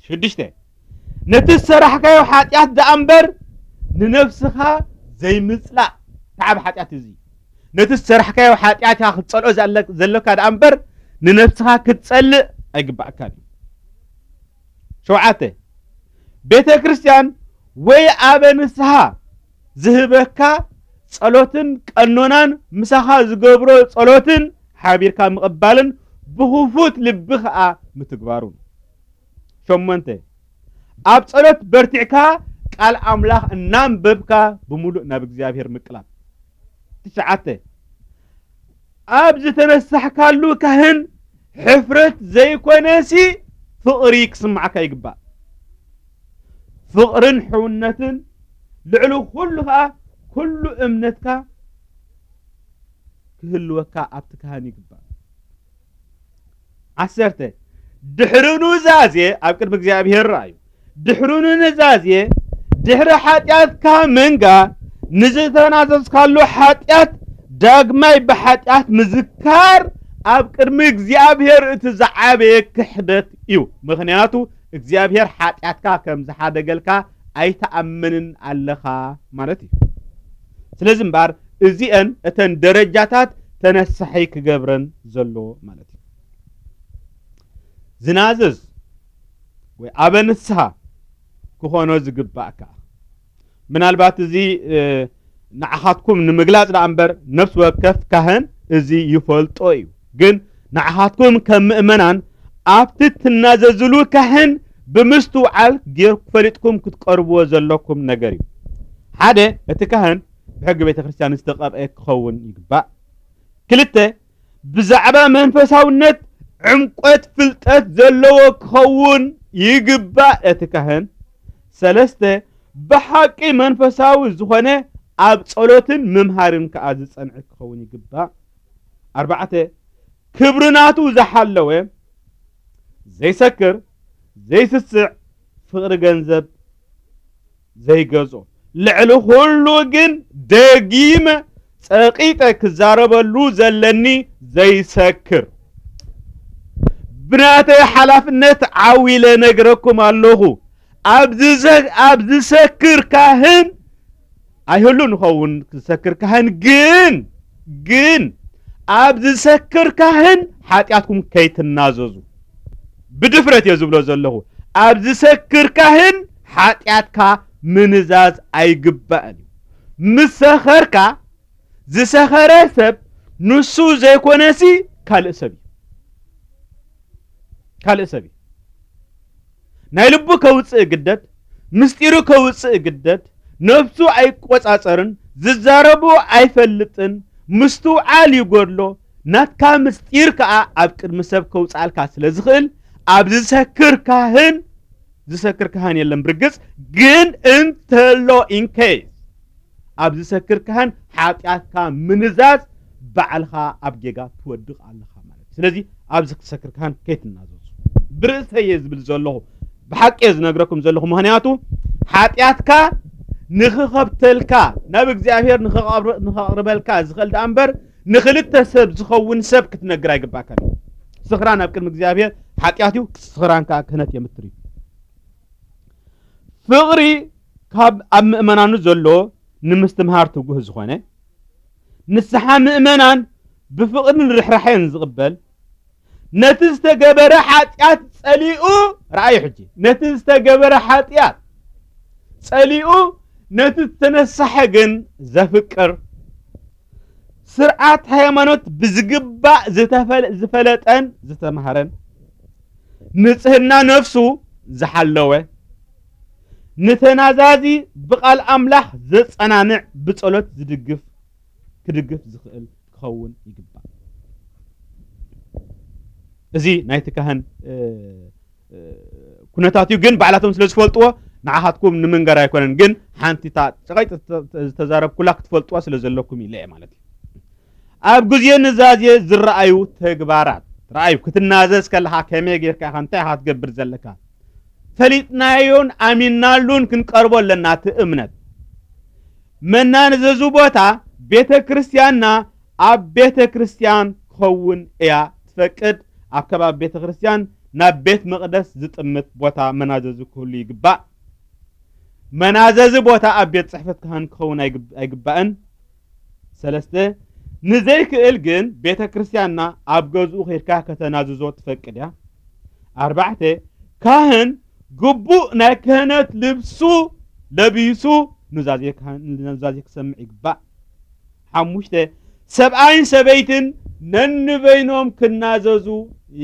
ሽዱሽተ፣ ነቲ ዝሰራሕካዮ ሓጢኣት ደኣ እምበር ንነፍስኻ ዘይምጽላእ። ተዓብ ሓጢኣት እዚ። ነቲ ዝሰራሕካዮ ሓጢኣት ኢኻ ክትጸልኦ ዘለ-፣ ዘለካ ደኣ እምበር ንነፍስኻ ክትጸልእ ኣይግባእካን እዩ። ሸውዓተ፣ ቤተ ክርስቲያን ወይ ኣበ ንስሓ ዝህበካ ጸሎትን ቀኖናን ምሳኻ ዝገብሮ ጸሎትን ሓቢርካ ምቕባልን ብኽፉት ልቢ ኸኣ ምትግባሩን። ሸሞንተ፣ ኣብ ጸሎት በርቲዕካ ቃል ኣምላኽ እናንበብካ ብምሉእ ናብ እግዚኣብሔር ምቅላብ። ትሽዓተ፣ ኣብ ዝተነሳሕካሉ ካህን ሕፍረት ዘይኮነሲ ፍቕሪ ክስምዓካ ይግባእ። ፍቕርን ሕውነትን ልዕሊ ኩሉ ኸኣ ኩሉ እምነትካ ክህልወካ ኣብቲ ካህን ይግባእ። ዓሰርተ፣ ድሕሪ ኑዛዜ ኣብ ቅድሚ እግዚኣብሔር ረኣዩ። ድሕሪ ኑዛዜ፣ ድሕሪ ሓጢኣትካ ምንጋ፣ ንዝተናዘዝካሉ ሓጢኣት ዳግማይ ብሓጢኣት ምዝካር ኣብ ቅድሚ እግዚኣብሔር እቲ ዝዓበየ ክሕደት እዩ። ምኽንያቱ እግዚኣብሔር ሓጢኣትካ ከም ዝሓደገልካ ኣይትኣምንን ኣለኻ ማለት እዩ። ስለዚ እምበኣር እዚአን እተን ደረጃታት ተነሳሒ ክገብረን ዘለዎ ማለት እዩ። ዝናዝዝ ወይ ኣበ ንስሃ ክኾኖ ዝግባእ ከኣ ምናልባት እዚ፣ እ፣ ንዓኻትኩም ንምግላጽ ደኣ እምበር ነፍሲ ወከፍ ካህን እዚ ይፈልጦ እዩ። ግን ንዓኻትኩም ከም ምእመናን ኣብቲ ትናዘዝሉ ካህን ብምስትውዓል ጌር-፣ ፈሊጥኩም ክትቀርብዎ ዘለኩም ነገር እዩ። ሓደ፣ እቲ ካህን ብሕጊ ቤተ ክርስቲያን ዝተቐብአ ክኸውን ይግባእ። ክልተ፣ ብዛዕባ መንፈሳውነት ዕምቆት ፍልጠት ዘለዎ ክኸውን ይግባእ እቲ ካህን። ሰለስተ፣ ብሓቂ መንፈሳዊ ዝኾነ ኣብ ጸሎትን ምምሃርን ከኣ ዝጸንዐ ክኸውን ይግባእ። ኣርባዕተ፣ ክብሪ ናቱ ዝሓለወ፣ ዘይሰክር፣ ዘይስስዕ፣ ፍቕሪ ገንዘብ ዘይገዝኦ። ልዕሊ ኩሉ ግን ደጊመ ጸቒጠ ክዛረበሉ ዘለኒ ዘይሰክር። ብናተይ ሓላፍነት ዓው ኢለ ነግረኩም ኣለኹ። ኣብ ዝዘ-፣ ኣብ ዝሰክር ካህን ኣይህሉ ንኸውን። ዝሰክር ካህን ግን፣ ግን ኣብ ዝሰክር ካህን ሓጢኣትኩም ከይትናዘዙ። ብድፍረት እየ ዝብሎ ዘለኹ። ኣብ ዝሰክር ካህን ሓጢኣትካ ምንዛዝ ኣይግባእን እዩ። ምስ ሰኸርካ፣ ዝሰኸረ ሰብ ንሱ ዘይኮነሲ ካልእ ሰብ እዩ። ካልእ ሰብ እዩ። ናይ ልቡ ከውጽእ ግደድ፣ ምስጢሩ ከውጽእ ግደድ፣ ነፍሱ ኣይቆጻጸርን፣ ዝዛረቦ ኣይፈልጥን፣ ምስትውዓል ይጎድሎ። ናትካ ምስጢር ከኣ ኣብ ቅድሚ ሰብ ከውጽኣልካ ስለ ዝኽእል፣ ኣብ ዝሰክር ካህን ዝሰክር ካህን የለን። ብርግጽ ግን እንተሎ፣ ኢንኬስ ኣብ ዝሰክር ካህን ሓጢኣትካ ምንዛዝ፣ ባዕልኻ ኣብ ጌጋ ትወድቕ ኣለኻ ማለት እዩ። ስለዚ ኣብዚ ክትሰክር ካህን ከይትናዘዙ። ብርእሰይ እየ ዝብል ዘለኹ፣ ብሓቂ እየ ዝነግረኩም ዘለኹ። ምኽንያቱ ሓጢኣትካ ንኽኸብተልካ፣ ናብ እግዚኣብሔር ንኸቕርበልካ ዝኽእል ደኣ እምበር፣ ንኽልተ ሰብ ዝኸውን ሰብ ክትነግር ኣይግባእካን እዩ። ስኽራን ኣብ ቅድሚ እግዚኣብሔር ሓጢኣት እዩ፣ ስኽራን ከዓ ክህነት የምትር እዩ። ፍቕሪ ካብ ኣብ ምእመናኑ ዘሎ ንምስትምሃር ትጉህ ዝኾነ፣ ንስሓ ምእመናን ብፍቕርን ርሕራሕን ዝቕበል፣ ነቲ ዝተገበረ ሓጢኣት ጸሊኡ፣ ረኣዩ ሕጂ፣ ነቲ ዝተገበረ ሓጢኣት ጸሊኡ፣ ነቲ ዝተነሳሐ ግን ዘፍቅር፣ ስርዓት ሃይማኖት ብዝግባእ ዝተፈለ-፣ ዝፈለጠን ዝተማህረን፣ ንጽህና ነፍሱ ዝሓለወ፣ ንተናዛዚ ብቓል ኣምላኽ ዘጸናንዕ፣ ብጸሎት ዝድግፍ፣ ክድግፍ ዝኽእል ክኸውን ይግባእ። እዚ ናይቲ ካህን፣ እ፣ እ፣ ኩነታት እዩ። ግን ባዕላቶም ስለ ዝፈልጥዎ ንዓኻትኩም ንምንጋር ኣይኮነን። ግን ሓንቲ እታ ጨቐይጥ ዝተዛረብኩላ ክትፈልጥዋ ስለ ዘለኩም ኢለ እየ ማለት እዩ። ኣብ ግዜ ኑዛዜ ዝረኣዩ ተግባራት። ረኣዩ፣ ክትናዘዝ ከለኻ ከመይ ጌርካ ኢኻ፣ እንታይ ኢኻ ክትገብር ዘለካ? ፈሊጥናዮን ኣሚንናሉን ክንቀርቦ ኣለና። እቲ እምነት መናዘዚ ቦታ ቤተ ክርስቲያንና ኣብ ቤተ ክርስቲያን ክኸውን እያ ትፈቅድ። ኣብ ከባቢ ቤተ ክርስቲያን ናብ ቤት መቕደስ ዝጥምት ቦታ መናዘዚ ክህሉ ይግባእ። መናዘዚ ቦታ ኣብ ቤት ጽሕፈት ካህን ክኸውን ኣይግብ-፣ ኣይግባእን። ሰለስተ፣ ንዘይክእል ግን ቤተ ክርስቲያንና ኣብ ገዝኡ ኬድካ ከተናዝዞ ትፈቅድ እያ። ኣርባዕተ፣ ካህን ግቡእ ናይ ክህነት ልብሱ ለቢሱ ኑዛዜ ካህን፣ ኑዛዜ ክሰምዕ ይግባእ። ሓሙሽተ፣ ሰብኣይን ሰበይትን ነንበይኖም ክናዘዙ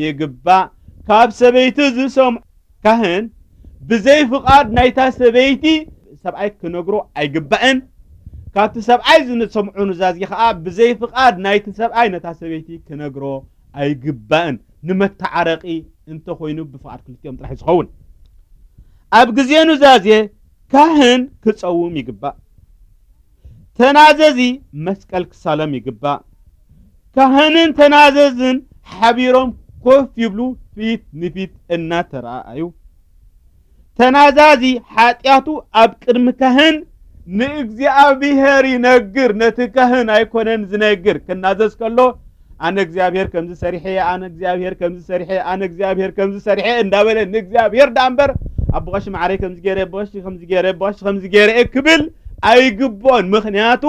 ይግባእ። ካብ ሰበይቲ ዝሰምዖ ካህን ብዘይ ፍቓድ ናይታ ሰበይቲ ሰብኣይ ክነግሮ ኣይግባእን። ካብቲ ሰብኣይ ዝሰምዖ ኑዛዜ ኸኣ ብዘይ ፍቓድ ናይቲ ሰብኣይ ነታ ሰበይቲ ክነግሮ ኣይግባእን። ንመተዓረቒ እንተኾይኑ ብፍቓድ ክልቲኦም ጥራሕ እዩ ዝኸውን። ኣብ ግዜ ኑዛዜ ካህን ክጸውም ይግባእ። ተናዘዚ መስቀል ክሳለም ይግባእ። ካህንን ተናዘዝን ሓቢሮም ኮፍ ይብሉ፣ ፊት ንፊት እናተረኣኣዩ። ተናዛዚ ሓጢኣቱ ኣብ ቅድሚ ካህን ንእግዚኣብሔር ይነግር። ነቲ ካህን ኣይኮነን ዝነግር። ክናዘዝ ከሎ፣ "ኣነ እግዚኣብሔር ከምዚ ሰሪሐ፣ ኣነ እግዚኣብሔር ከምዚ ሰሪሐ፣ ኣነ እግዚኣብሔር ከምዚ ሰሪሐ" እንዳበለ ንእግዚኣብሔር ደኣ እምበር፣ "ኣቦ ቀሺ ማዕረይ ከምዚ ገይረ፣ ኣቦ ቀሺ ከምዚ ገይረ፣ ኣቦ ቀሺ ከምዚ ገይረ" ክብል ኣይግብኦን። ምኽንያቱ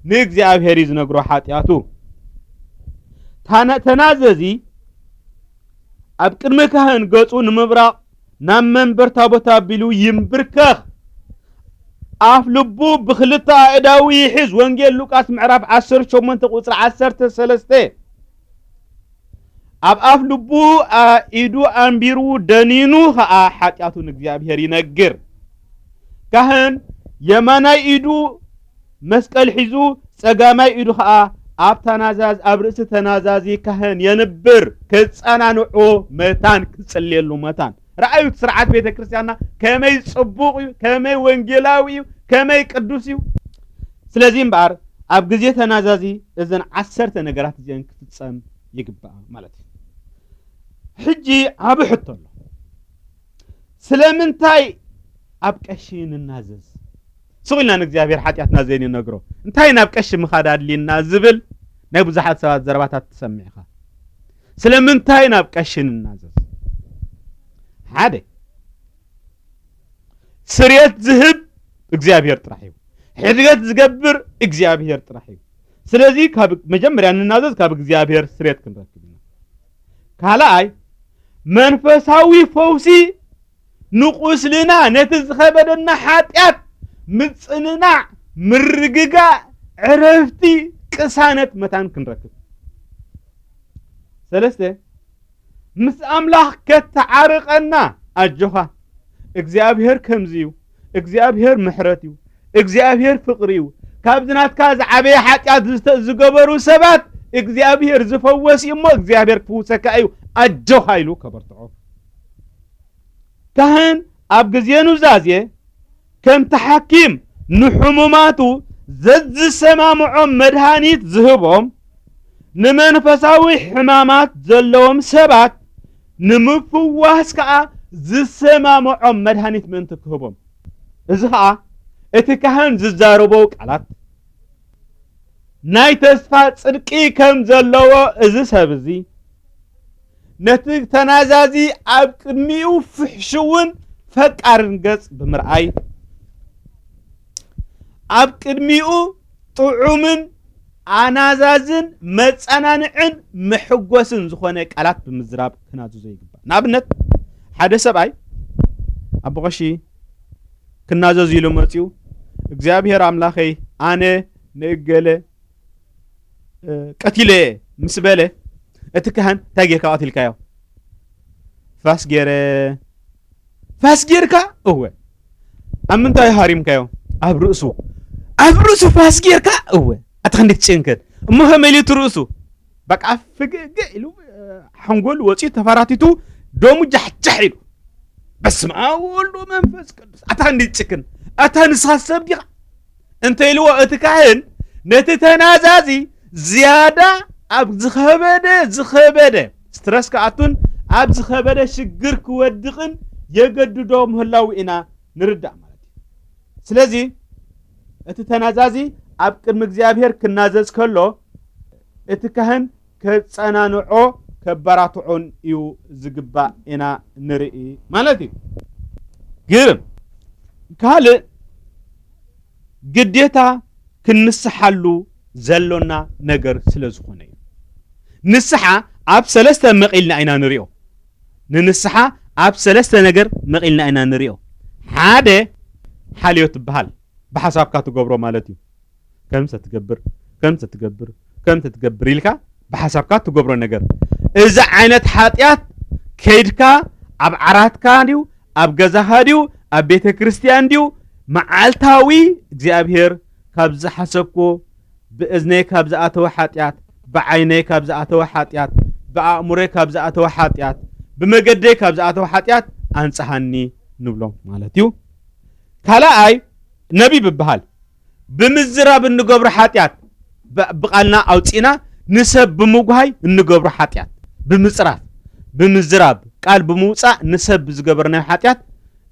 ንእግዚኣብሔር እዩ ዝነግሮ ሓጢኣቱ። ታነ-፣ ተናዘዚ ኣብ ቅድሚ ካህን ገጹ ንምብራቕ ናብ መንበር ታቦት ኣቢሉ ይንብርከኽ። ኣፍ ልቡ ብኽልተ ኣእዳዉ ይሕዝ። ወንጌል ሉቃስ ምዕራፍ ዓሰርተ ሸሞንተ ቁጽሪ ዓሰርተ ሰለስተ። ኣብ ኣፍ ልቡ ኣ-፣ ኢዱ ኣንቢሩ ደኒኑ ኸኣ ሓጢኣቱ ንእግዚኣብሔር ይነግር። ካህን የማናይ ኢዱ መስቀል ሒዙ፣ ጸጋማይ ኢዱ ኸኣ ኣብ ተናዛዝ-፣ ኣብ ርእሲ ተናዛዚ ካህን የንብር፣ ከጸናንዖ መታን፣ ክጽልየሉ መታን። ረኣዩ፣ እቲ ስርዓት ቤተ ክርስቲያንና ከመይ ጽቡቕ እዩ፣ ከመይ ወንጌላዊ እዩ፣ ከመይ ቅዱስ እዩ። ስለዚ እምበኣር ኣብ ግዜ ተናዛዚ እዘን ዓሰርተ ነገራት እዚአን ክፍጸም ይግባእ ማለት እዩ። ሕጂ ዓቢ ሕቶ ኣሎ። ስለምንታይ ኣብ ቀሺ ንናዘዝ? ስቕ ኢልና ንእግዚኣብሔር ሓጢኣትና ዘይንነግሮ፣ እንታይ ናብ ቀሺ ምኻድ ኣድልየና ዝብል ናይ ብዙሓት ሰባት ዘረባታት ትሰምዕ ኢኻ። ስለምንታይ ናብ ቀሺ ንናዘዝ? ሓደ፣ ስርየት ዝህብ እግዚኣብሔር ጥራሕ እዩ። ሕድገት ዝገብር እግዚኣብሔር ጥራሕ እዩ። ስለዚ ካብ መጀመርያ ንናዘዝ ካብ እግዚኣብሔር ስርየት ክንረክብ ኢና። ካልኣይ፣ መንፈሳዊ ፈውሲ ንቁስልና፣ ነቲ ዝኸበደና ሓጢኣት ምጽንናዕ፣ ምርግጋእ፣ ዕረፍቲ፣ ቅሳነት፣ መታን ክንረክብ። ሰለስተ፣ ምስ ኣምላኽ ከተዓርቐና። ኣጆኻ፣ እግዚኣብሔር ከምዚ እዩ። እግዚኣብሔር ምሕረት እዩ። እግዚኣብሔር ፍቕሪ እዩ። ካብዚ ናትካ ዝዓበየ ሓጢኣት ዝተ-፣ ዝገበሩ ሰባት እግዚኣብሔር ዝፈወስ እዩ እሞ እግዚኣብሔር ክፍውሰካ እዩ። ኣጆኻ ኢሉ ከበርትዖ። ካህን ኣብ ግዜ ኑዛዜ ከምቲ ሓኪም ንሕሙማቱ ዘዝሰማምዖም መድሃኒት ዝህቦም፣ ንመንፈሳዊ ሕማማት ዘለዎም ሰባት ንምፍዋስ ከኣ ዝሰማምዖም መድሃኒት ምእንቲ ክህቦም። እዚ ኸኣ እቲ ካህን ዝዛረቦ ቃላት ናይ ተስፋ ጽድቂ ከም ዘለዎ፣ እዚ ሰብ እዚ ነቲ ተናዛዚ ኣብ ቅድሚኡ ፍሕሽውን ፈቃርን ገጽ ብምርኣይ፣ ኣብ ቅድሚኡ ጥዑምን ኣናዛዝን መጸናንዕን መሕጎስን ዝኾነ ቃላት ብምዝራብ ክናዝዞ ይግባእ። ንኣብነት፣ ሓደ ሰብኣይ ኣቦ ቀሺ ክናዘዝ ኢሉ መጺኡ፣ እግዚኣብሔር ኣምላኸይ፣ ኣነ ንእገለ፣ እ፣ ቀቲለ ምስ በለ፣ እቲ ካህን፣ "እንታይ ጌርካ ቀቲልካዮ?" "ፋስ ጌረ።" "ፋስ ጌርካ?" "እወ።" "ኣብ ምንታይ ሃሪምካዮ?" "ኣብ ርእሱ።" "ኣብ ርእሱ ፋስ ጌርካ?" "እወ።" ኣታ ክንደይ ትጭንክር። እሞ ከመይ ኢሉ እቲ ርእሱ? በቃ ፍግእ ኢሉ፣ እ፣ ሓንጎል ወፂኡ ተፈራቲቱ፣ ደሙ ጃሕጃሕ ኢሉ፣ "በስመ ኣብ ወወልድ ወመንፈስ ቅዱስ፣ ኣታ እንዲ ትጭክን፣ ኣታ ንስኻ ሰብ ዲኻ?" እንተ ኢልዎ፣ እቲ ካህን ነቲ ተናዛዚ ዝያዳ ኣብ ዝኸበደ፣ ዝኸበደ ስትረስ ክኣቱን ኣብ ዝኸበደ ሽግር ክወድቕን የገድዶ ምህላዉ ኢና ንርዳእ ማለት እዩ። ስለዚ እቲ ተናዛዚ ኣብ ቅድሚ እግዚኣብሔር ክናዘዝ ከሎ፣ እቲ ካህን ከጸናንዖ፣ ከበራትዖን እዩ ዝግባእ ኢና ንርኢ ማለት እዩ። ግርም። ካልእ ግዴታ ክንንስሓሉ ዘሎና ነገር ስለ ዝኾነ እዩ። ንስሓ ኣብ ሰለስተ መቒልና ኢና ንሪኦ። ንንስሓ ኣብ ሰለስተ ነገር መቒልና ኢና ንሪኦ። ሓደ ሓልዮ ትበሃል፣ ብሓሳብካ ትገብሮ ማለት እዩ። ከምሰ ትገብር፣ ከምሰ ትገብር፣ ከምሰ ትገብር ኢልካ ብሓሳብካ ትገብሮ ነገር። እዚ ዓይነት ሓጢኣት ከይድካ ኣብ ዓራትካ ድዩ፣ ኣብ ገዛኻ ድዩ፣ ኣብ ቤተ ክርስቲያን ድዩ፣ መዓልታዊ እግዚኣብሔር ካብ ዝሓሰብኩዎ፣ ብእዝነይ ካብ ዝኣተወ ሓጢኣት፣ ብዓይነይ ካብ ዝኣተወ ሓጢኣት፣ ብኣእምሮይ ካብ ዝኣተወ ሓጢኣት፣ ብመገደይ ካብ ዝኣተወ ሓጢኣት ኣንጽሃኒ ንብሎ ማለት እዩ። ካልኣይ ነቢብ ይበሃል። ብምዝራብ እንገብሮ ሓጢኣት፣ ብ-፣ ብቓልና ኣውጺእና ንሰብ ብምጉሃይ እንገብሮ ሓጢኣት፣ ብምጽራፍ፣ ብምዝራብ፣ ቃል ብምውጻእ ንሰብ ዝገበርናዮ ሓጢኣት፣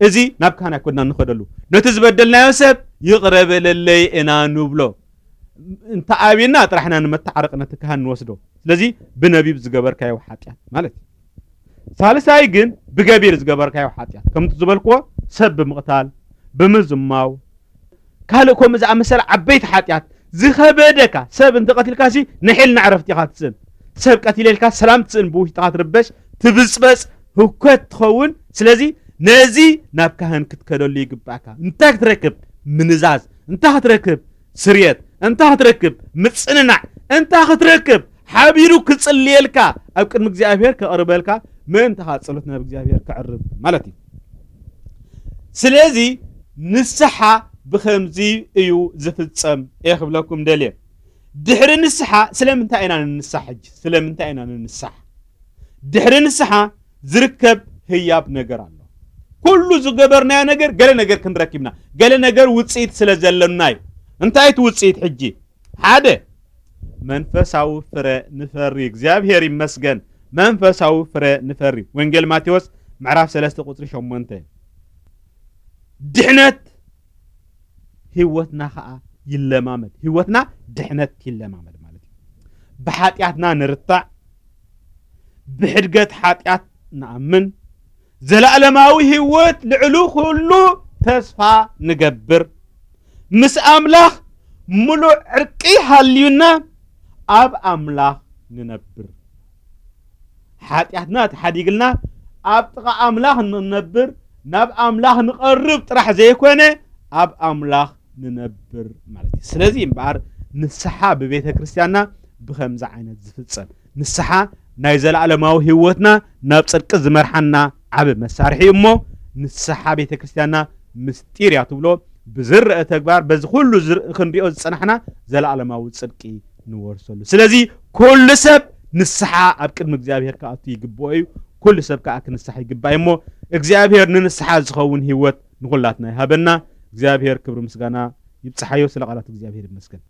እዚ ናብ ካህን ኣይኮንና እንኸደሉ። ነቲ ዝበደልናዮ ሰብ ይቕረ በለለይ ኢና ንብሎ። እንተ ኣብና ጥራሕና ንመተዓረቂ ነቲ ካህን ንወስዶ። ስለዚ ብነቢብ ዝገበርካዮ ሓጢኣት ማለት እዩ። ሳልሳይ ግን ብገቢር ዝገበርካዮ ሓጢኣት፣ ከምቲ ዝበልክዎ ሰብ ብምቕታል፣ ብምዝማው፣ ካልእ ከምኡ ዝኣመሰለ ዓበይቲ ሓጢኣት ዝኸበደካ ሰብ እንተቐቲልካሲ ንሒልና ዕረፍቲ ኢኻ ትስእን። ሰብ ቀቲለ ኢልካ ሰላም ትስእን፣ ብውሽጥኻ ትርበሽ፣ ትብጽበጽ፣ ህውከት ትኸውን። ስለዚ ነዚ ናብ ካህን ክትከደሉ ይግባእካ። እንታይ ክትረክብ? ምንዛዝ። እንታይ ክትረክብ? ስርየት። እንታይ ክትረክብ? ምጽንናዕ። እንታይ ክትረክብ? ሓቢሩ ክጽልየልካ፣ ኣብ ቅድሚ እግዚኣብሔር ከቕርበልካ፣ ምእንታኻ ጸሎት ናብ እግዚኣብሔር ከዕርብ ማለት እዩ። ስለዚ ንስሓ ብኸምዚ እዩ ዝፍጸም እየ ክብለኩም ደልየ። ድሕሪ ንስሓ ስለምንታይ ኢና ንንሳሕ? ሕጂ ስለምንታይ ኢና ንንሳሕ? ድሕሪ ንስሓ ዝርከብ ህያብ ነገር ኣሎ። ኩሉ ዝገበርናዮ ነገር፣ ገለ ነገር ክንረክብና፣ ገለ ነገር ውጽኢት ስለ ዘሎና እዩ። እንታይ እቲ ውጽኢት ሕጂ? ሓደ፣ መንፈሳዊ ፍረ ንፈሪ። እግዚኣብሔር ይመስገን፣ መንፈሳዊ ፍረ ንፈሪ። ወንጌል ማቴዎስ ምዕራፍ ሰለስተ ቁጽሪ ሸሞንተ። ድሕነት ህይወትና ኸዓ ይለማመድ። ህይወትና ድሕነት ይለማመድ ማለት እዩ። ብሓጢኣትና ንርታዕ፣ ብሕድገት ሓጢኣት ንኣምን፣ ዘለኣለማዊ ህይወት ልዕሊ ኩሉ ተስፋ ንገብር፣ ምስ ኣምላኽ ምሉእ ዕርቂ ሃልዩና ኣብ ኣምላኽ ንነብር። ሓጢኣትና ተሓዲግልና ኣብ ጥቓ ኣምላኽ ንነብር፣ ናብ ኣምላኽ ንቐርብ ጥራሕ ዘይኮነ ኣብ ኣምላኽ ንነብር ማለት እዩ። ስለዚ እምበኣር ንስሓ ብቤተ ክርስቲያንና ብኸምዚ ዓይነት ዝፍጸም፣ ንስሓ ናይ ዘለኣለማዊ ህይወትና ናብ ጽድቂ ዝመርሓና ዓቢ መሳርሒ እዩ እሞ፣ ንስሓ ቤተ ክርስቲያንና ምስጢር እያ ትብሎ። ብዝረአ ተግባር፣ በዚ ኩሉ ዝር-፣ ክንሪኦ ዝጸናሕና ዘለኣለማዊ ጽድቂ ንወርሰሉ። ስለዚ ኩሉ ሰብ ንስሓ ኣብ ቅድሚ እግዚኣብሔር ክኣቱ ይግብኦ እዩ። ኩሉ ሰብ ከዓ ክንሳሕ ይግባእ እሞ እግዚኣብሔር ንንስሓ ዝኸውን ህይወት ንኹላትና ይሃበና። እግዚኣብሔር ክብሪ ምስጋና ይብፅሓዮ። ስለ ቃላት እግዚኣብሔር ይመስገን።